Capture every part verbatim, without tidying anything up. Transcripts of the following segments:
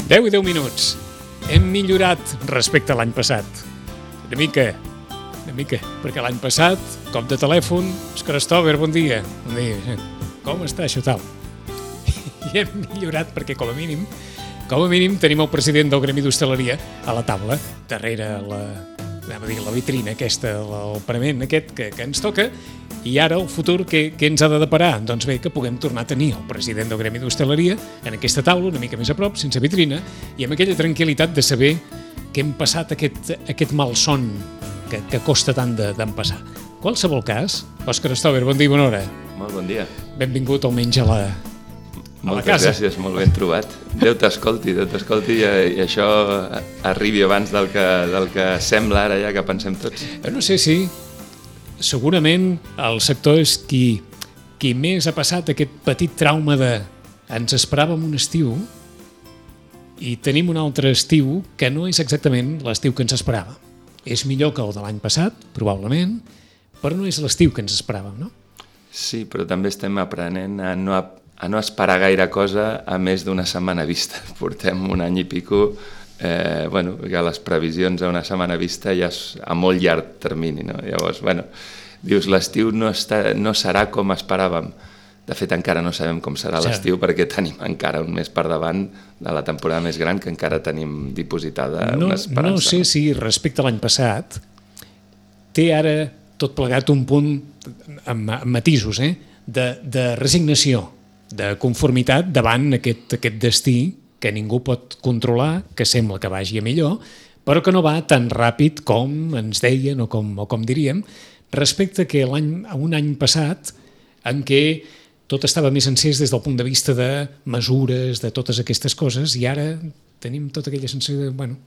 deu i deu minuts. Hem millorat respecte a l'any passat. Una mica, una mica, perquè l'any passat, cop de telèfon, Òscar Stover, bon dia. Bon dia. Com està això tal? I hem millorat perquè, com a mínim, com a mínim tenim el president del Gremi d'Hostaleria a la taula, darrere la, anem a dir, la vitrina aquesta, el parament aquest que, que ens toca, i ara el futur què, què ens ha de deparar? Doncs bé, que puguem tornar a tenir el president del Gremi d'Hostaleria en aquesta taula, una mica més a prop, sense vitrina, i amb aquella tranquil·litat de saber que hem passat aquest, aquest malson que, que costa tant d'empassar. En qualsevol cas, Òscar Stover, bon dia i bona hora. Molt bon dia. Benvingut almenys a la, a la casa. Moltes gràcies, molt ben trobat. Déu t'escolti, Déu t'escolti i, i això arribi abans del que, del que sembla ara ja que pensem tots. Jo no sé si segurament el sector és qui, qui més ha passat aquest petit trauma de ens esperàvem un estiu i tenim un altre estiu que no és exactament l'estiu que ens esperàvem. És millor que el de l'any passat, probablement, però no és l'estiu que ens esperàvem, no? Sí, però també estem aprenent a no, a no esperar gaire cosa a més d'una setmana vista. Portem un any i pico, eh, bueno, que les previsions a una setmana vista ja és a molt llarg termini, no? Llavors, bueno, dius, l'estiu no, està, no serà com esperàvem. De fet, encara no sabem com serà l'estiu perquè tenim encara un mes per davant de la temporada més gran que encara tenim dipositada no, una esperança. No sé si respecte a l'any passat té ara tot plegat un punt amb, amb matisos, eh? de, de resignació, de conformitat davant aquest, aquest destí que ningú pot controlar, que sembla que vagi a millor, però que no va tan ràpid com ens deien o com, o com diríem, respecte que l'any, a un any passat en què tot estava més encès des del punt de vista de mesures, de totes aquestes coses, i ara tenim tota aquella sensació de, bueno,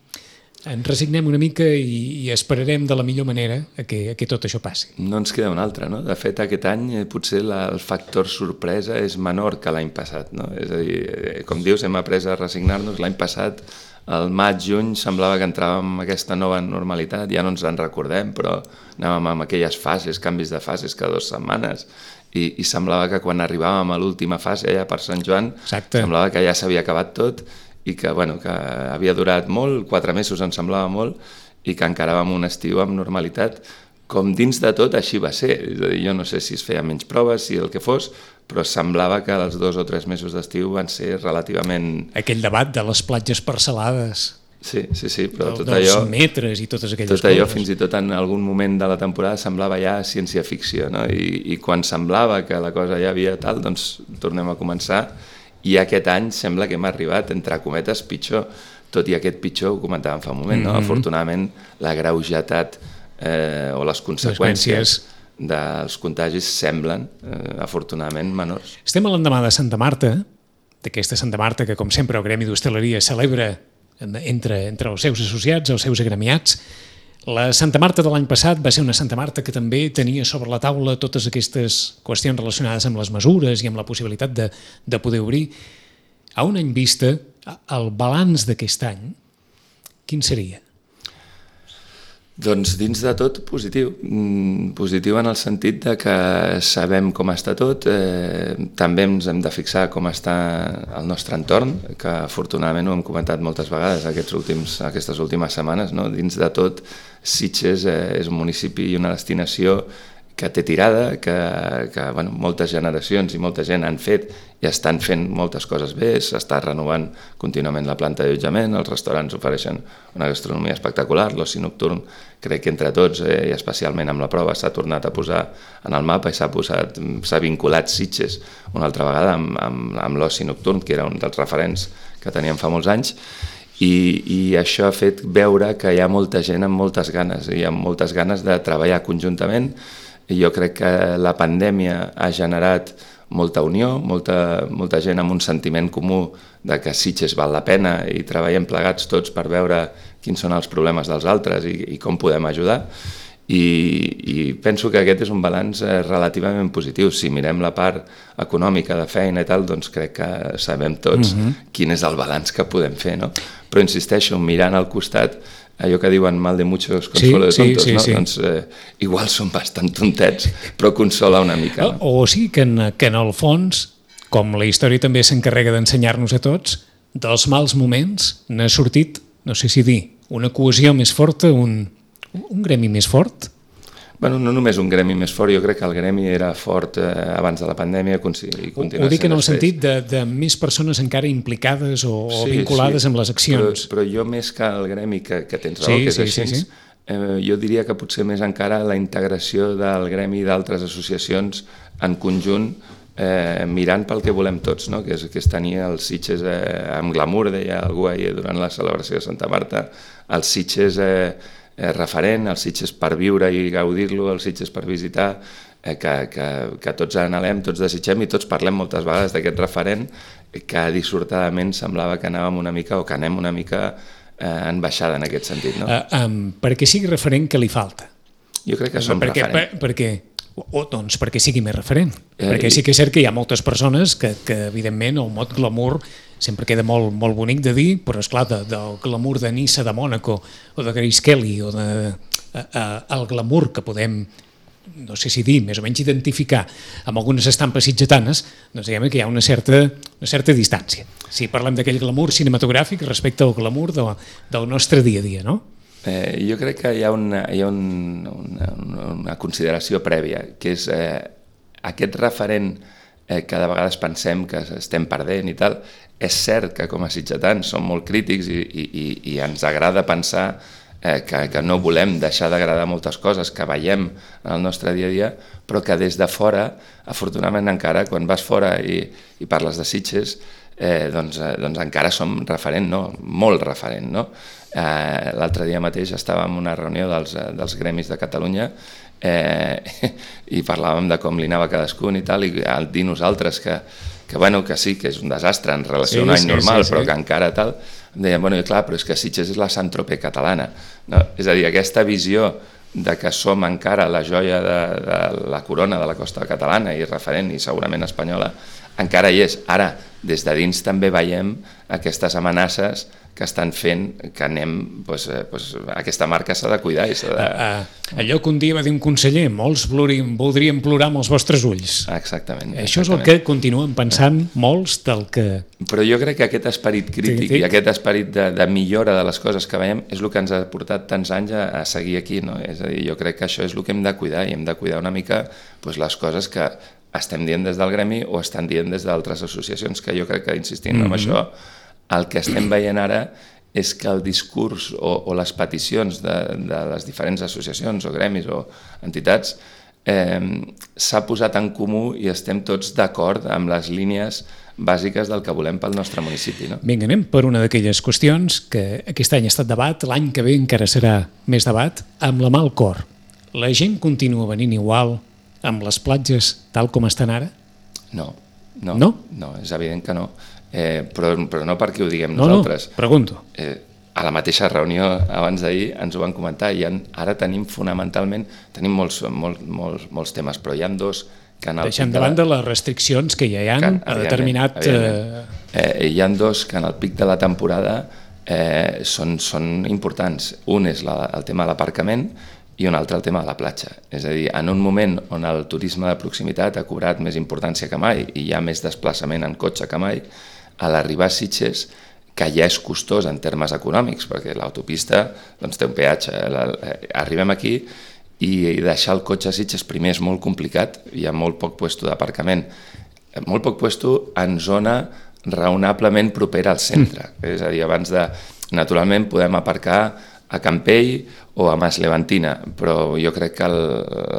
ens resignem una mica i, i esperarem de la millor manera a que, a que tot això passi. No ens queda una altra, no? De fet, aquest any eh, potser la, el factor sorpresa és menor que l'any passat, no? És a dir, eh, com dius, hem après a resignar-nos. L'any passat, al maig, juny, semblava que entràvem en aquesta nova normalitat, ja no ens en recordem, però anàvem amb aquelles fases, canvis de fases cada dues setmanes, i, i semblava que quan arribàvem a l'última fase, ja per Sant Joan, Exacte. semblava que ja s'havia acabat tot, i que, bueno, que havia durat molt, quatre mesos ens semblava molt, i que encaràvem un estiu amb normalitat, com dins de tot així va ser. És a dir, jo no sé si es feia menys proves, si el que fos, però semblava que els dos o tres mesos d'estiu van ser relativament... Aquell debat de les platges parcel·lades. Sí, sí, sí, però del, tot allò... Dels metres i totes aquelles tot coses. Tot allò, fins i tot en algun moment de la temporada, semblava ja ciència-ficció, no? I, I quan semblava que la cosa ja havia tal, doncs tornem a començar. I aquest any sembla que hem arribat, entre cometes, pitjor. Tot i aquest pitjor, ho comentàvem fa un moment, no? Mm-hmm. Afortunadament, la greugetat eh, o les conseqüències dels contagis semblen, eh, afortunadament, menors. Estem a l'endemà de Santa Marta, d'aquesta Santa Marta que, com sempre, el Gremi d'Hostaleria celebra entre, entre els seus associats, els seus agremiats. La Santa Marta de l'any passat va ser una Santa Marta que també tenia sobre la taula totes aquestes qüestions relacionades amb les mesures i amb la possibilitat de, de poder obrir. A un any vista, el balanç d'aquest any, quin seria? Doncs dins de tot positiu, positiu en el sentit de que sabem com està tot, eh, també ens hem de fixar com està el nostre entorn, que afortunadament ho hem comentat moltes vegades aquests últims, aquestes últimes setmanes, no? Dins de tot, Sitges eh, és un municipi i una destinació que té tirada, que, que bueno, moltes generacions i molta gent han fet i estan fent moltes coses bé, s'està renovant contínuament la planta d'allotjament, els restaurants ofereixen una gastronomia espectacular, l'oci nocturn crec que entre tots, eh, i especialment amb la prova, s'ha tornat a posar en el mapa i s'ha posat, s'ha vinculat Sitges una altra vegada amb, amb, amb l'oci nocturn, que era un dels referents que teníem fa molts anys, i, i això ha fet veure que hi ha molta gent amb moltes ganes, hi ha moltes ganes de treballar conjuntament. I jo crec que la pandèmia ha generat molta unió, molta, molta gent amb un sentiment comú de que Sitges val la pena i treballem plegats tots per veure quins són els problemes dels altres i, i com podem ajudar. I, i penso que aquest és un balanç relativament positiu. Si mirem la part econòmica de feina i tal, doncs crec que sabem tots mm-hmm. quin és el balanç que podem fer, no? Però insisteixo, mirant al costat, allò que diuen mal de muchos consuelo sí, de tontos, sí, sí, no? Sí. Doncs eh, igual són bastant tontets, però consola una mica. No? O, o sigui que en, que en el fons, com la història també s'encarrega d'ensenyar-nos a tots, dels mals moments n'ha sortit, no sé si dir, una cohesió més forta, un, un gremi més fort? Bueno, no només un gremi més fort, jo crec que el gremi era fort eh, abans de la pandèmia i continua Ho dic en el després. sentit de, de més persones encara implicades o, sí, o vinculades sí, amb les accions. Però, però jo més que el gremi, que, que tens raó, sí, que és sí, així, sí, sí. Eh, jo diria que potser més encara la integració del gremi i d'altres associacions en conjunt, eh, mirant pel que volem tots, no? que, és, que és tenir els Sitges eh, amb glamour, deia algú ahir durant la celebració de Santa Marta, els Sitges eh, eh, referent, els Sitges per viure i gaudir-lo, els Sitges per visitar, eh, que, que, que tots anhelem, tots desitgem i tots parlem moltes vegades d'aquest referent que dissortadament semblava que anàvem una mica o que anem una mica eh, en baixada en aquest sentit. No? Uh, um, perquè sigui referent, què li falta? Jo crec que som perquè, referent. Per, perquè, o doncs perquè sigui més referent. Eh, perquè sí que és cert que hi ha moltes persones que, que evidentment, el mot glamour sempre queda molt, molt bonic de dir, però esclar, de, del glamour de Niça, de Mònaco, o de Grace Kelly, o de, a, a, el glamour que podem, no sé si dir, més o menys identificar amb algunes estampes sitgetanes, doncs diguem que hi ha una certa, una certa distància. Si parlem d'aquell glamour cinematogràfic respecte al glamour de, del nostre dia a dia, no? Eh, jo crec que hi ha una, hi ha un, una, una consideració prèvia, que és eh, aquest referent eh, que de vegades pensem que estem perdent i tal. És cert que com a sitgetans som molt crítics i, i, i ens agrada pensar eh, que, que no volem deixar d'agradar moltes coses que veiem en el nostre dia a dia, però que des de fora, afortunadament encara, quan vas fora i, i parles de Sitges, eh, doncs, eh, doncs encara som referent, no? Molt referent, no? Eh, l'altre dia mateix estàvem en una reunió dels, dels gremis de Catalunya eh, i parlàvem de com li anava cadascun i tal, i al dir nosaltres que, que, bueno, que sí, que és un desastre en relació sí, a un any sí, normal, sí, sí. però que encara tal, deien, bueno, i clar, però és que Sitges és la Saint-Tropez catalana, no? És a dir, aquesta visió de que som encara la joia de, de la corona de la costa catalana i referent i segurament espanyola, encara hi és. Ara, des de dins també veiem aquestes amenaces que estan fent que anem, doncs, eh, doncs, aquesta marca s'ha de cuidar i s'ha de... Uh, uh, allò que un dia va dir un conseller, molts voldrien, voldrien plorar amb els vostres ulls. Exactament. Això exactament. és el que continuen pensant molts del que... Però jo crec que aquest esperit crític sí, i aquest esperit de, de millora de les coses que veiem és el que ens ha portat tants anys a, a seguir aquí, no? És a dir, jo crec que això és el que hem de cuidar i hem de cuidar una mica doncs, les coses que estem dient des del gremi o estan dient des d'altres associacions, que jo crec que insistint mm-hmm. en això, el que estem veient ara és que el discurs o, o les peticions de, de les diferents associacions o gremis o entitats eh, s'ha posat en comú i estem tots d'acord amb les línies bàsiques del que volem pel nostre municipi. No? Vinga, anem per una d'aquelles qüestions que aquest any ha estat debat, l'any que ve encara serà més debat, amb la mà al cor. La gent continua venint igual amb les platges tal com estan ara? No, no, no? no és evident que no. Eh, però, però no perquè ho diguem no, nosaltres. No, pregunto. Eh, a la mateixa reunió abans d'ahir ens ho van comentar i en, ara tenim fonamentalment, tenim molts, molts, molts, molts temes, però hi ha dos que en el... Deixant davant de, la, de les restriccions que ja hi ha que, a determinat... Eh... Eh, hi ha dos que en el pic de la temporada eh, són, són importants. Un és la, el tema de l'aparcament i un altre el tema de la platja. És a dir, en un moment on el turisme de proximitat ha cobrat més importància que mai i hi ha més desplaçament en cotxe que mai, a l'arribar a Sitges, que ja és costós en termes econòmics, perquè l'autopista doncs, té un peatge. Arribem aquí i deixar el cotxe a Sitges primer és molt complicat, hi ha molt poc puesto d'aparcament, molt poc puesto en zona raonablement propera al centre. És a dir, abans de... Naturalment podem aparcar a Campell o a Mas Levantina, però jo crec que el,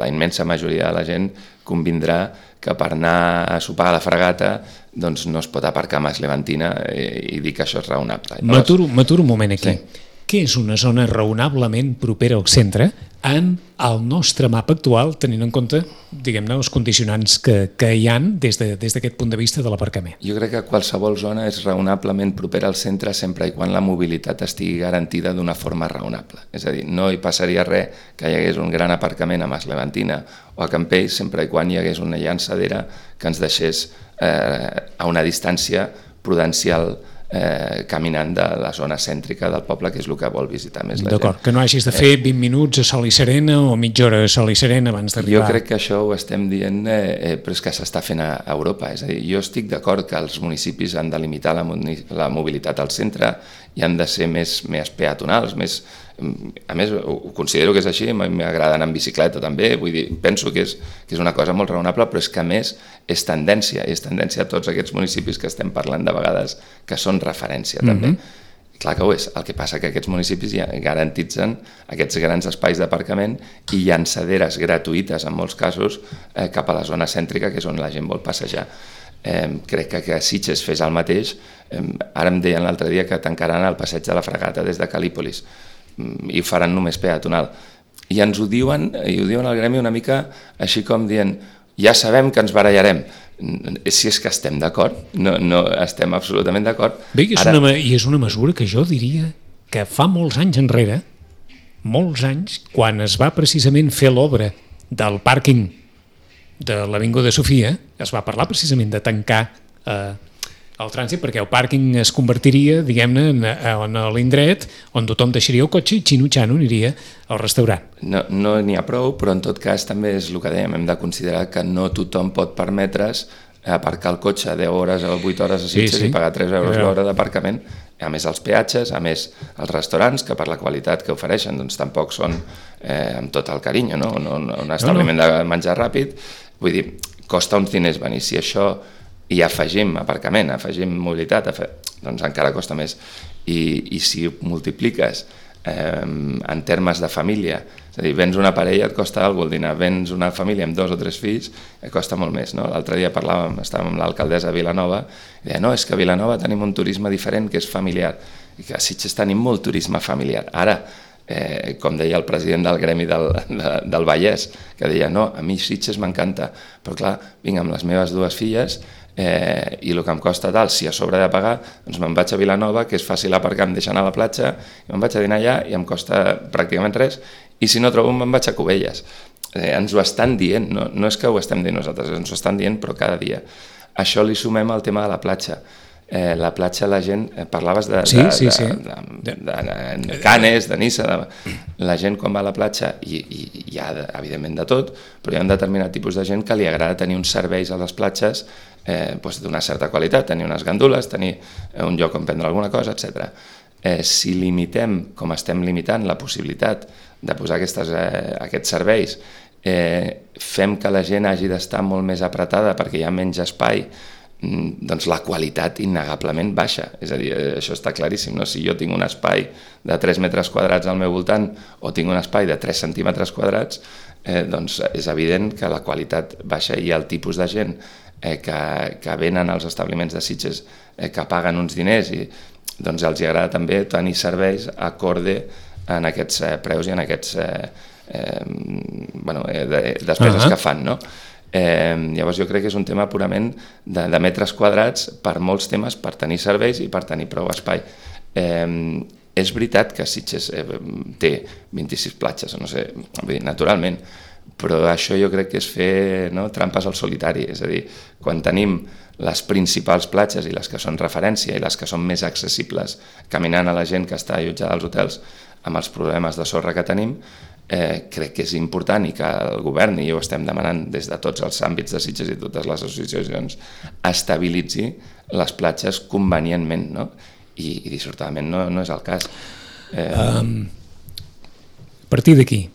la immensa majoria de la gent convindrà que per anar a sopar a la Fregata doncs no es pot aparcar a Mas Levantina i, i dir que això és raonable. M'aturo un moment aquí. Sí. Què és una zona raonablement propera al centre en el nostre mapa actual, tenint en compte, diguem-ne, els condicionants que, que hi ha des de, des d'aquest punt de vista de l'aparcament? Jo crec que qualsevol zona és raonablement propera al centre sempre i quan la mobilitat estigui garantida d'una forma raonable. És a dir, no hi passaria res que hi hagués un gran aparcament a Mas Levantina o a Campell sempre i quan hi hagués una llançadera que ens deixés eh, a una distància prudencial eh, caminant de la zona cèntrica del poble, que és el que vol visitar més la gent. D'acord, que no hagis de fer vint minuts a Sol i Serena o mitja hora a Sol i Serena abans d'arribar. Jo crec que això ho estem dient, eh, però és que s'està fent a Europa. És a dir, jo estic d'acord que els municipis han de limitar la, la mobilitat al centre i han de ser més, més peatonals, més... A més, ho considero que és així, m'agrada anar en bicicleta també, vull dir, penso que és, que és una cosa molt raonable, però és que a més és tendència, és tendència a tots aquests municipis que estem parlant de vegades que són referència també. Mm-hmm. Clar que ho és, el que passa que aquests municipis ja garantitzen aquests grans espais d'aparcament i llançaderes gratuïtes en molts casos eh, cap a la zona cèntrica, que és on la gent vol passejar. Eh, crec que que Sitges fes el mateix. Eh, ara em deien l'altre dia que tancaran el passeig de la Fragata des de Cal·lípolis i ho faran només peatonal. I ens ho diuen, i ho diuen al gremi una mica així com dient, ja sabem que ens barallarem. Si és que estem d'acord, no, no estem absolutament d'acord. Bé, i és, Ara... una, i és una mesura que jo diria que fa molts anys enrere, molts anys, quan es va precisament fer l'obra del pàrquing de l'Avinguda Sofia, es va parlar precisament de tancar eh, el trànsit perquè el pàrquing es convertiria, diguem-ne, en, en l'indret on tothom deixaria el cotxe i xino-xano aniria al restaurant. No no n'hi ha prou, però en tot cas també és el que dèiem, hem de considerar que no tothom pot permetre's aparcar el cotxe deu hores o vuit hores a Sitges sí, sí. i pagar tres euros l'hora d'aparcament. A més els peatges, a més els restaurants, que per la qualitat que ofereixen doncs tampoc són eh, amb tot el carinyo, no? Un, un establiment no, no. de menjar ràpid. Vull dir, costa uns diners venir. Si això i afegim aparcament, afegim mobilitat, afe... doncs encara costa més. I, i si ho multipliques eh, en termes de família, és a dir, vens una parella et costa alguna cosa el dinar, vens una família amb dos o tres fills et costa molt més. No? L'altre dia parlàvem, estàvem amb l'alcaldessa de Vilanova i deia, no, és que a Vilanova tenim un turisme diferent que és familiar i que a Sitges tenim molt turisme familiar. Ara, eh, com deia el president del gremi del, de, del Vallès, que deia, no, a mi Sitges m'encanta, però clar, vinc amb les meves dues filles Eh, i el que em costa tal, si a sobre de pagar doncs me'n vaig a Vilanova, que és fàcil aparcar, em deixa anar a la platja, i me'n vaig a dinar allà i em costa pràcticament res, i si no trobo me'n vaig a Cubelles. Eh, ens ho estan dient, no, no és que ho estem dient nosaltres, ens ho estan dient però cada dia. Això li sumem al tema de la platja. Eh, la platja la gent, eh, parlaves de, sí, de, sí, sí. de, de, de, de Canes, de Nissa, de, la gent quan va a la platja, i, i hi ha evidentment de tot, però hi ha un determinat tipus de gent que li agrada tenir uns serveis a les platges eh, doncs d'una certa qualitat, tenir unes gandules, tenir un lloc on prendre alguna cosa, etcètera. Eh, si limitem, com estem limitant, la possibilitat de posar aquestes, eh, aquests serveis, eh, fem que la gent hagi d'estar molt més apretada perquè hi ha menys espai, doncs la qualitat innegablement baixa. És a dir, això està claríssim, no? Si jo tinc un espai de tres metres quadrats al meu voltant o tinc un espai de tres centímetres quadrats, eh, doncs és evident que la qualitat baixa i el tipus de gent eh, que, que venen als establiments de Sitges eh, que paguen uns diners i doncs els agrada també tenir serveis acorde en aquests eh, preus i en aquests eh, eh, bueno, eh, de, despeses uh-huh. que fan, no? Eh, llavors jo crec que és un tema purament de, de metres quadrats per molts temes, per tenir serveis i per tenir prou espai. Eh, és veritat que Sitges eh, té vint-i-sis platges, no sé, vull dir, naturalment, però això jo crec que és fer no, trampes al solitari, és a dir, quan tenim les principals platges i les que són referència i les que són més accessibles caminant a la gent que està allotjada als hotels amb els problemes de sorra que tenim, Eh, crec que és important i que el govern, i ho estem demanant des de tots els àmbits de Sitges i totes les associacions, estabilitzi les platges convenientment, no? I, i dissortadament no, no és el cas. Eh... Um, a partir d'aquí,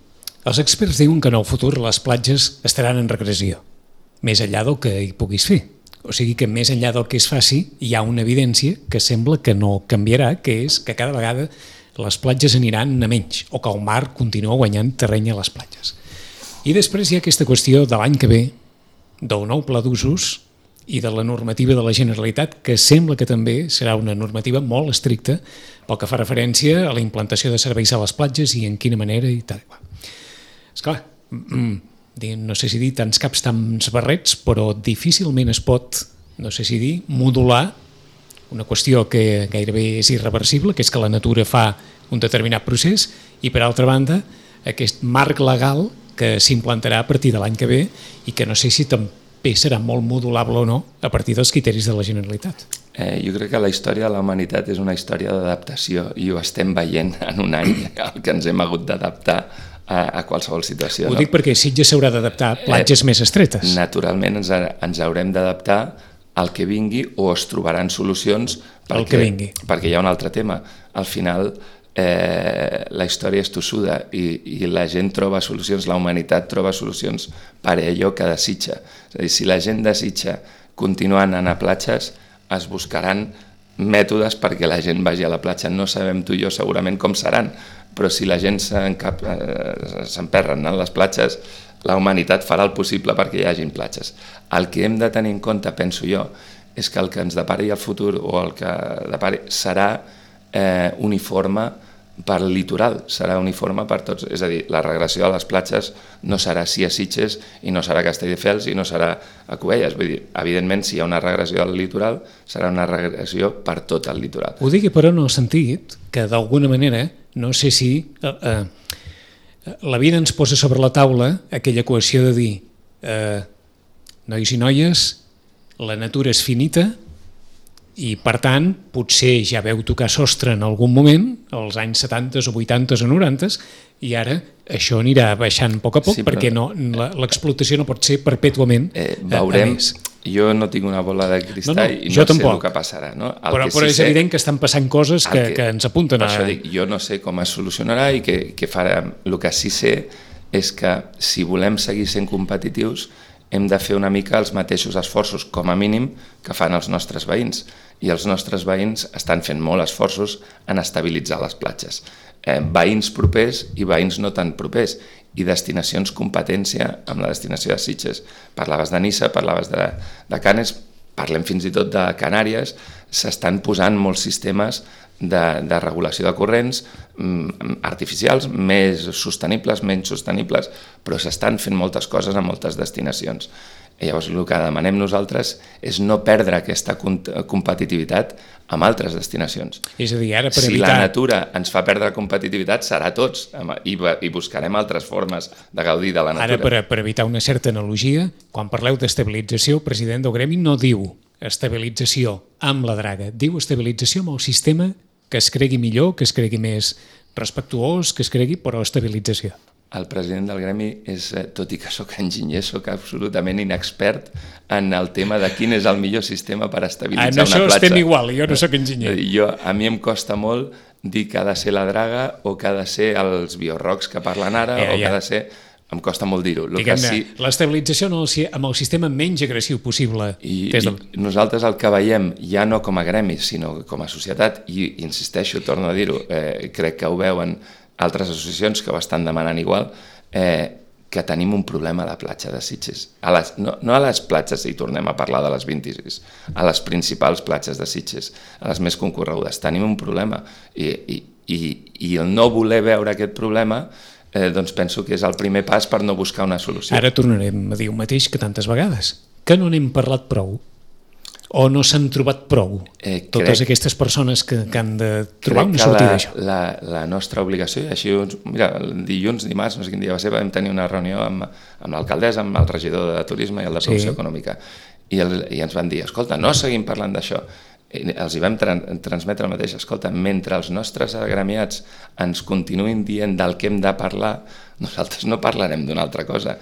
els experts diuen que en el futur les platges estaran en regressió, més enllà del que hi puguis fer. O sigui que més enllà del que es faci hi ha una evidència que sembla que no canviarà, que és que cada vegada les platges aniran a menys, o que el mar continua guanyant terreny a les platges. I després hi ha aquesta qüestió de l'any que ve, del nou pla d'usos i de la normativa de la Generalitat, que sembla que també serà una normativa molt estricta pel que fa referència a la implantació de serveis a les platges i en quina manera i tal. Esclar, no sé si dir tants caps, tants barrets, però difícilment es pot, no sé si dir, modular una qüestió que gairebé és irreversible, que és que la natura fa un determinat procés, i per altra banda, aquest marc legal que s'implantarà a partir de l'any que ve i que no sé si també serà molt modulable o no a partir dels criteris de la Generalitat. Eh, jo crec que la història de la humanitat és una història d'adaptació i ho estem veient en un any el que ens hem hagut d'adaptar a, a qualsevol situació. Ho no? dic perquè Sitges s'haurà d'adaptar a platges eh, més estretes. Naturalment ens, ens haurem d'adaptar al que vingui o es trobaran solucions perquè, el que vingui. Perquè hi ha un altre tema. Al final eh, la història és tossuda i, i la gent troba solucions, la humanitat troba solucions per allò que desitja. És a dir, si la gent desitja continuar anant a platges, es buscaran mètodes perquè la gent vagi a la platja. No sabem tu i jo segurament com seran, però si la gent s'emperra anant a les platges, la humanitat farà el possible perquè hi hagin platges. El que hem de tenir en compte, penso jo, és que el que ens depari el futur o el que depari serà eh, uniforme per litoral, serà uniforme per tots, és a dir, la regressió a les platges no serà sí a Sitges i no serà a Castelldefels i no serà a Cubelles, vull dir, evidentment si hi ha una regressió al litoral serà una regressió per tot el litoral. Ho dic però en el sentit que d'alguna manera, no sé si eh, eh, la vida ens posa sobre la taula aquella equació de dir eh, nois i noies, la natura és finita i per tant potser ja veu tocar sostre en algun moment, als anys setanta o vuitanta o noranta, i ara això anirà baixant a poc a poc sí, però... perquè no, l'explotació no pot ser perpètuament eh, veurem, a més. Jo no tinc una bola de cristall no, no, i no sé tampoc. El que passarà. No? El però que però sí és sé, evident que estan passant coses que, que, que ens apunten a... Per això dic, jo no sé com es solucionarà i què, què farà. El que sí sé és que si volem seguir sent competitius hem de fer una mica els mateixos esforços, com a mínim, que fan els nostres veïns. I els nostres veïns estan fent molt esforços en estabilitzar les platges. Eh, veïns propers i veïns no tan propers. I destinacions competència amb la destinació de Sitges. Parlaves de Niça, parlaves de, de Canes, parlem fins i tot de Canàries, s'estan posant molts sistemes de, de regulació de corrents mm, artificials, més sostenibles, menys sostenibles, però s'estan fent moltes coses a moltes destinacions. I llavors el que demanem nosaltres és no perdre aquesta competitivitat amb altres destinacions. És a dir, ara per si evitar... la natura ens fa perdre competitivitat serà tots i, i buscarem altres formes de gaudir de la natura. Ara per, per evitar una certa analogia, quan parleu d'estabilització, el president del gremi no diu estabilització amb la draga, diu estabilització amb el sistema que es cregui millor, que es cregui més respectuós, que es cregui, però estabilització. El president del gremi és, tot i que sóc enginyer, sóc absolutament inexpert en el tema de quin és el millor sistema per estabilitzar ah, una platja. En això estem igual, jo no sóc enginyer. Jo, a mi em costa molt dir que ha de ser la draga o que ha de ser els biorrocs que parlen ara ja, o que ja. ha de ser... Em costa molt dir-ho. Sí... L'estabilització amb el sistema menys agressiu possible. I, de... I nosaltres el que veiem, ja no com a gremi, sinó com a societat, i insisteixo, torno a dir-ho, eh, crec que ho veuen altres associacions que ho estan demanant igual, eh, que tenim un problema a la platja de Sitges. A les, no, no a les platges, si tornem a parlar de les vint-i-sis, a les principals platges de Sitges, a les més concorregudes. Tenim un problema i, i, i, i el no voler veure aquest problema eh, doncs penso que és el primer pas per no buscar una solució. Ara tornarem a dir el mateix que tantes vegades, que no n'hem parlat prou. O no s'han trobat prou eh, totes crec, aquestes persones que, que han de trobar una sortida d'això? La, la nostra obligació, i així, mira, el dilluns, dimarts, no sé quin dia va ser, vam tenir una reunió amb, amb l'alcaldessa, amb el regidor de turisme i el de producció sí. econòmica, i, el, i ens van dir, escolta, no seguim parlant d'això. I els hi vam tra transmetre el mateix, escolta, mentre els nostres agremiats ens continuïn dient del que hem de parlar, nosaltres no parlarem d'una altra cosa.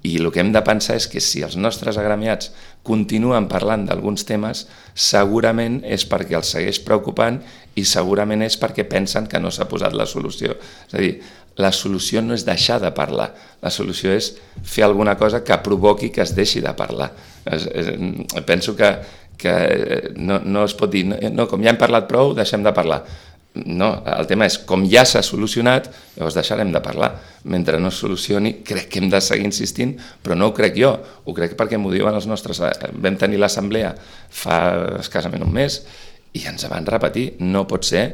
I el que hem de pensar és que si els nostres agremiats continuen parlant d'alguns temes, segurament és perquè els segueix preocupant i segurament és perquè pensen que no s'ha posat la solució. És a dir, la solució no és deixar de parlar, la solució és fer alguna cosa que provoqui que es deixi de parlar. És, és, penso que, que no, no es pot dir, no, no, com ja hem parlat prou, deixem de parlar. No, el tema és, com ja s'ha solucionat, llavors deixarem de parlar. Mentre no es solucioni, crec que hem de seguir insistint, però no ho crec jo, ho crec perquè m'ho diuen els nostres... Vam tenir l'assemblea fa escassament un mes i ens van repetir, no pot ser...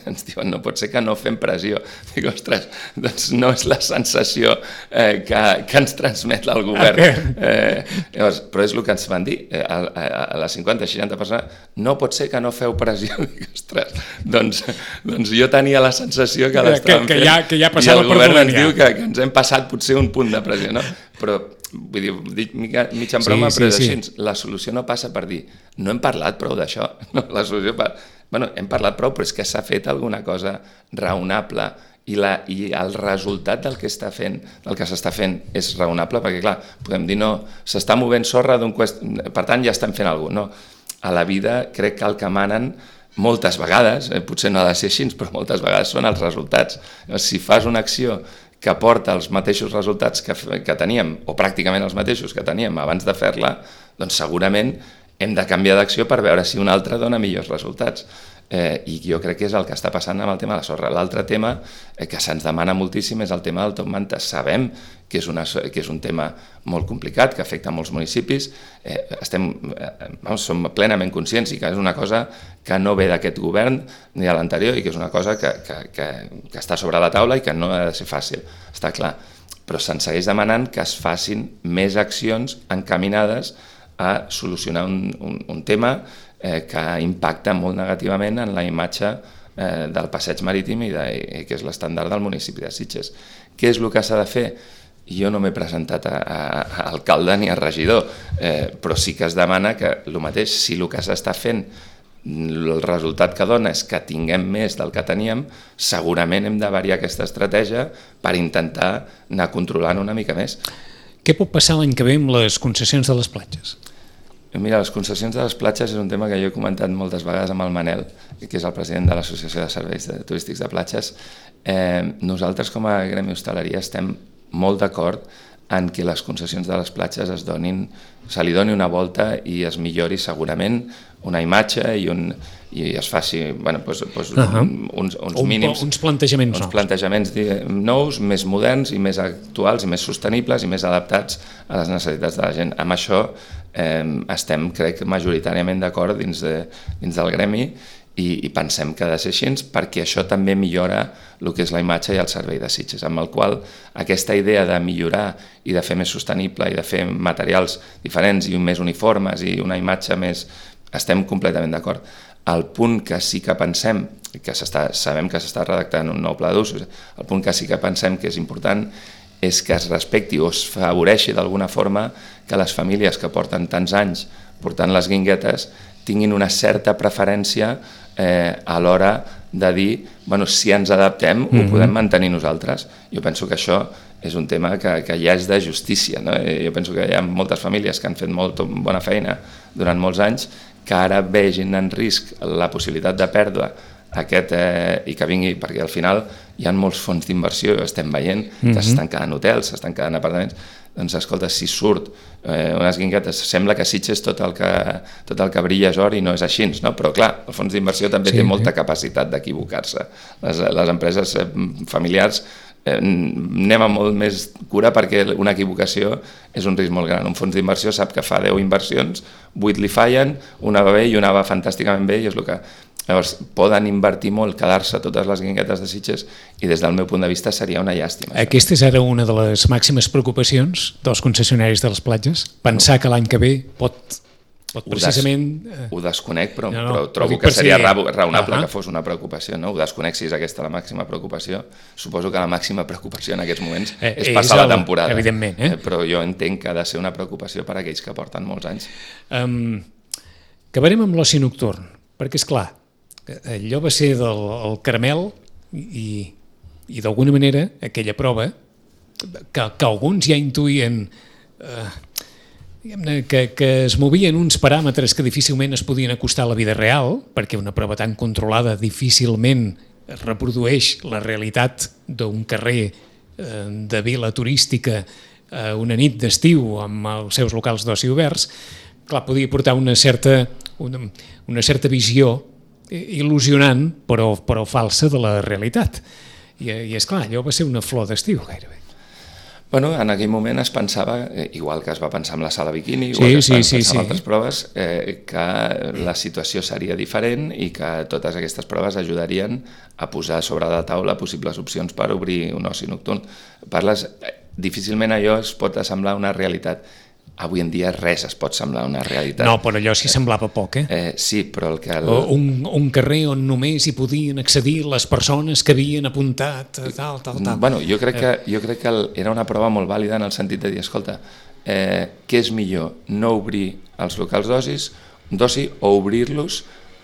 ens diuen, no pot ser que no fem pressió. Dic, ostres, doncs no és la sensació eh, que, que ens transmet el govern. Eh, llavors, però és el que ens van dir, eh, a, a les cinquanta seixanta persones, no pot ser que no feu pressió. Dic, ostres, doncs, doncs jo tenia la sensació que l'estàvem fent, que ja, que ja i el govern ens diu que, que ens hem passat potser un punt de pressió, no? Però vull dir, dic mig en broma, sí, però sí, és així. La solució no passa per dir no hem parlat prou d'això. No, la solució per... bueno, hem parlat prou, però és que s'ha fet alguna cosa raonable i, la, i el resultat del que està fent, del que s'està fent és raonable, perquè clar, podem dir no, s'està movent sorra d'un quest... per tant ja estem fent alguna cosa. No, a la vida crec que el que manen moltes vegades, eh, potser no ha de ser així, però moltes vegades són els resultats. Si fas una acció que porta els mateixos resultats que, que teníem, o pràcticament els mateixos que teníem abans de fer-la, doncs segurament hem de canviar d'acció per veure si una altra dona millors resultats. Eh, I jo crec que és el que està passant amb el tema de la sorra. L'altre tema eh, que se'ns demana moltíssim és el tema del top manta. Sabem que és, una, que és un tema molt complicat, que afecta molts municipis, eh, estem, eh, vamos, som plenament conscients i que és una cosa que no ve d'aquest govern ni de l'anterior i que és una cosa que, que, que, que està sobre la taula i que no ha de ser fàcil, està clar. Però se'ns segueix demanant que es facin més accions encaminades a solucionar un, un, un tema eh, que impacta molt negativament en la imatge eh, del passeig marítim i, de, i que és l'estàndard del municipi de Sitges. Què és el que s'ha de fer? Jo no m'he presentat a, a, a alcalde ni a regidor, eh, però sí que es demana que el mateix, si el que s'està fent el resultat que dona és que tinguem més del que teníem, segurament hem de variar aquesta estratègia per intentar anar controlant una mica més. Què pot passar l'any que ve amb les concessions de les platges? Mira, les concessions de les platges és un tema que jo he comentat moltes vegades amb el Manel, que és el president de l'Associació de Serveis Turístics de Platges. Eh, nosaltres com a Gremi Hostaleria estem molt d'acord en que les concessions de les platges es donin, se li doni una volta i es millori segurament una imatge i, un, i es faci bueno, doncs, doncs uh -huh. uns, uns un, mínims... Uns plantejaments uns nous. plantejaments nous, més moderns i més actuals i més sostenibles i més adaptats a les necessitats de la gent. Amb això eh, estem, crec, majoritàriament d'acord dins, de, dins del gremi i, i pensem que ha de ser així perquè això també millora el que és la imatge i el servei de Sitges, amb el qual aquesta idea de millorar i de fer més sostenible i de fer materials diferents i més uniformes i una imatge més... estem completament d'acord. El punt que sí que pensem, que sabem que s'està redactant un nou pla d'usos, el punt que sí que pensem que és important és que es respecti o es favoreixi d'alguna forma que les famílies que porten tants anys portant les guinguetes tinguin una certa preferència eh, a l'hora de dir, bueno, si ens adaptem, mm-hmm. ho podem mantenir nosaltres. Jo penso que això és un tema que, que ja és de justícia, no? Jo penso que hi ha moltes famílies que han fet molt bona feina durant molts anys que ara vegin en risc la possibilitat de pèrdua aquest, eh, i que vingui, perquè al final hi ha molts fons d'inversió, estem veient que mm-hmm. s'estan quedant hotels, s'estan quedant apartaments, doncs escolta, si surt eh, unes guinguetes, sembla que Sitges tot el que, tot el que brilla és or i no és així, no? Però clar, el fons d'inversió també sí, té molta sí. capacitat d'equivocar-se. Les, les empreses eh, familiars eh, anem amb molt més cura perquè una equivocació és un risc molt gran. Un fons d'inversió sap que fa deu inversions, vuit li fallen, una va bé i una va fantàsticament bé i és el que... Llavors, poden invertir molt, quedar-se totes les guinguetes de Sitges i des del meu punt de vista seria una llàstima. Aquesta és ara una de les màximes preocupacions dels concessionaris de les platges? Pensar no. que l'any que ve pot, pot precisament... Ho, des, ho desconec, però, no, no, però trobo però que seria si... raonable uh-huh. que fos una preocupació. No? Ho desconec si és aquesta la màxima preocupació. Suposo que la màxima preocupació en aquests moments eh, és passar és el, la temporada. Evidentment. Eh? Però jo entenc que ha de ser una preocupació per a aquells que porten molts anys. Um, acabarem amb l'oci nocturn, perquè és clar, allò va ser del el caramel i, i d'alguna manera aquella prova que, que alguns ja intuïen eh, diguem-ne, que, que es movien uns paràmetres que difícilment es podien acostar a la vida real, perquè una prova tan controlada difícilment reprodueix la realitat d'un carrer eh, de vila turística eh, una nit d'estiu amb els seus locals d'oci oberts. Clar, podia portar una certa, una, una certa visió il·lusionant però, però falsa de la realitat. I, i és clar, allò va ser una flor d'estiu gairebé. Bueno, en aquell moment es pensava, igual que es va pensar amb la sala bikini, sí, igual que es sí, va sí, pensar sí. amb altres proves, eh, que la situació seria diferent i que totes aquestes proves ajudarien a posar sobre la taula possibles opcions per obrir un oci nocturn. Parles, difícilment allò es pot assemblar una realitat. Avui en dia res es pot semblar una realitat. No, però allò sí semblava poc, eh? eh sí, però el que... El... Un, un carrer on només hi podien accedir les persones que havien apuntat, tal, tal, tal. Bueno, jo crec que, jo crec que era una prova molt vàlida en el sentit de dir, escolta, eh, què és millor, no obrir els locals d'ocis, d'oci o obrir-los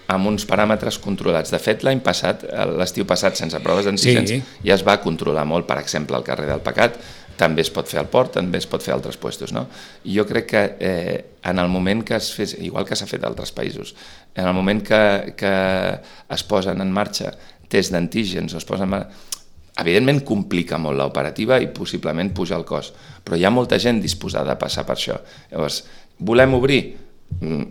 amb uns paràmetres controlats. De fet, l'any passat, l'estiu passat, sense proves d'antígens, sí. ja es va controlar molt, per exemple, al carrer del Pecat, també es pot fer al port, també es pot fer a altres puestos, no? I jo crec que eh, en el moment que es fes, igual que s'ha fet a altres països, en el moment que, que es posen en marxa tests d'antígens, o es posen en marxa, evidentment complica molt l'operativa i possiblement puja el cost, però hi ha molta gent disposada a passar per això. Llavors, volem obrir?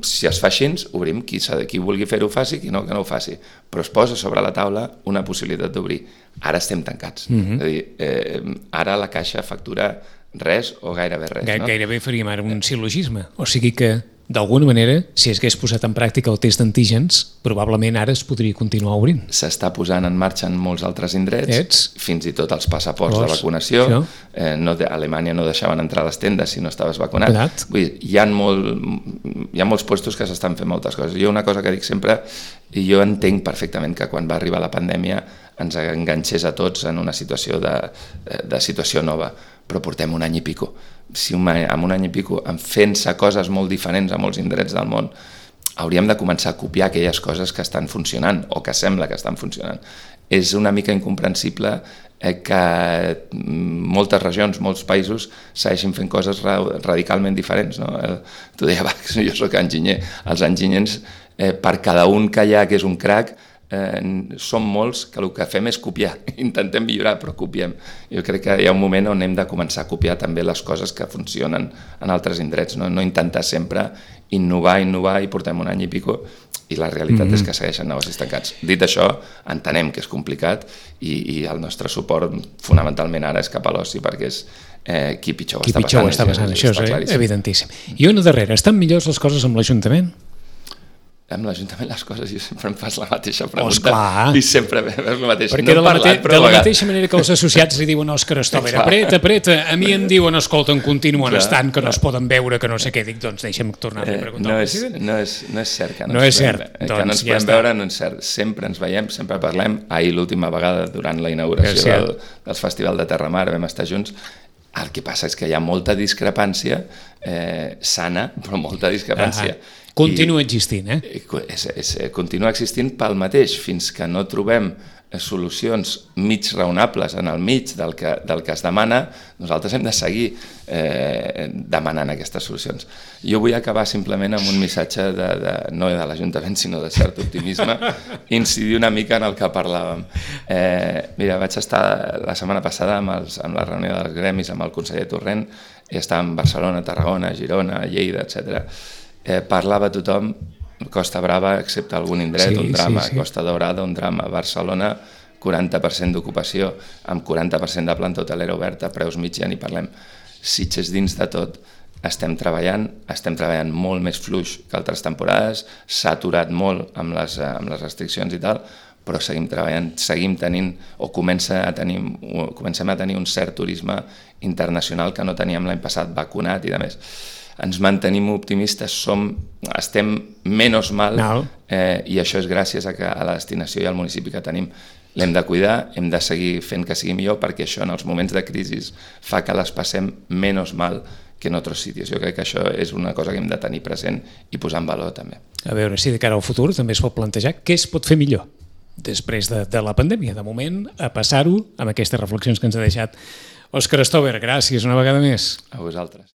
Si es fa així, obrim, qui, qui vulgui fer-ho faci, qui no, que no ho faci, però es posa sobre la taula una possibilitat d'obrir. Ara estem tancats, mm-hmm. és a dir, eh, ara la Caixa factura res o gairebé res. Gai, no? Gairebé faríem ara un sil·logisme, o sigui que d'alguna manera, si es hagués posat en pràctica el test d'antígens, probablement ara es podria continuar obrint. S'està posant en marxa en molts altres indrets, Ets? fins i tot els passaports Llavors, de vacunació. Eh, no, a Alemanya no deixaven entrar a les tendes si no estaves vacunat. Vull dir, hi ha, molt, hi ha molts puestos que s'estan fent moltes coses. Jo una cosa que dic sempre, i jo entenc perfectament que quan va arribar la pandèmia ens enganxés a tots en una situació de, de situació nova, però portem un any i pico. Si un, en un any i pico, fent-se coses molt diferents a molts indrets del món, hauríem de començar a copiar aquelles coses que estan funcionant o que sembla que estan funcionant. És una mica incomprensible que moltes regions, molts països segueixin fent coses radicalment diferents. No? Tu deia, va, jo soc enginyer. Els enginyers, eh, per cada un que hi ha que és un crac, Eh, som molts que el que fem és copiar, intentem millorar però copiem. Jo crec que hi ha un moment on hem de començar a copiar també les coses que funcionen en altres indrets, no, no intentar sempre innovar, innovar i portem un any i pico i la realitat mm-hmm. és que segueixen negocis tancats. Dit això, entenem que és complicat i, i el nostre suport fonamentalment ara és cap a l'oci perquè és eh, qui pitjor ho qui està pitjor passant. Està passant. Això és eh, evidentíssim. I una darrera, estan millors les coses amb l'Ajuntament? Amb l'Ajuntament les coses jo sempre em fas la mateixa pregunta oh, i sempre veus la mateixa. Perquè no de, la, parlat, mate de la mateixa manera que els associats li diuen Òscar Stover, apreta, apreta, a mi em diuen, escolta, en continuen clar, estant, que clar. No es poden veure, que no sé què, dic, doncs deixa'm tornar a preguntar. Eh, no, és, no, és, no és cert que no, no ens és cert, podem, doncs, que no ens ja podem està. veure, no és cert. Sempre ens veiem, sempre parlem. Ahir l'última vegada, durant la inauguració del, del Festival de Terramar, vam estar junts. El que passa és que hi ha molta discrepància eh, sana, però molta discrepància. Ah, continua existint, eh? És, és, continua existint pel mateix, fins que no trobem solucions mig raonables en el mig del que, del que es demana, nosaltres hem de seguir eh, demanant aquestes solucions. Jo vull acabar simplement amb un missatge, de, de, no de l'Ajuntament, sinó de cert optimisme, incidir una mica en el que parlàvem. Eh, mira, vaig estar la setmana passada amb, els, amb la reunió dels gremis, amb el conseller Torrent, i estàvem a Barcelona, Tarragona, Girona, Lleida, etcètera. Eh, parlava tothom, Costa Brava, excepte algun indret, sí, un drama, sí, sí. Costa Daurada, un drama, Barcelona, quaranta per cent d'ocupació, amb quaranta per cent de planta hotelera oberta, preus mig ja ni parlem. Sitges dins de tot, estem treballant, estem treballant molt més fluix que altres temporades, s'ha aturat molt amb les, amb les restriccions i tal, però seguim treballant, seguim tenint, o comença a tenir, o comencem a tenir un cert turisme internacional que no teníem l'any passat, vacunat i de més. Ens mantenim optimistes, som, estem menys mal no. eh, i això és gràcies a, que, a la destinació i al municipi que tenim. L'hem de cuidar, hem de seguir fent que sigui millor perquè això en els moments de crisi fa que les passem menys mal que en altres sitios. Jo crec que això és una cosa que hem de tenir present i posar en valor també. A veure si de cara al futur també es pot plantejar què es pot fer millor després de, de la pandèmia. De moment, a passar-ho amb aquestes reflexions que ens ha deixat Òscar Stover. Gràcies una vegada més. A vosaltres.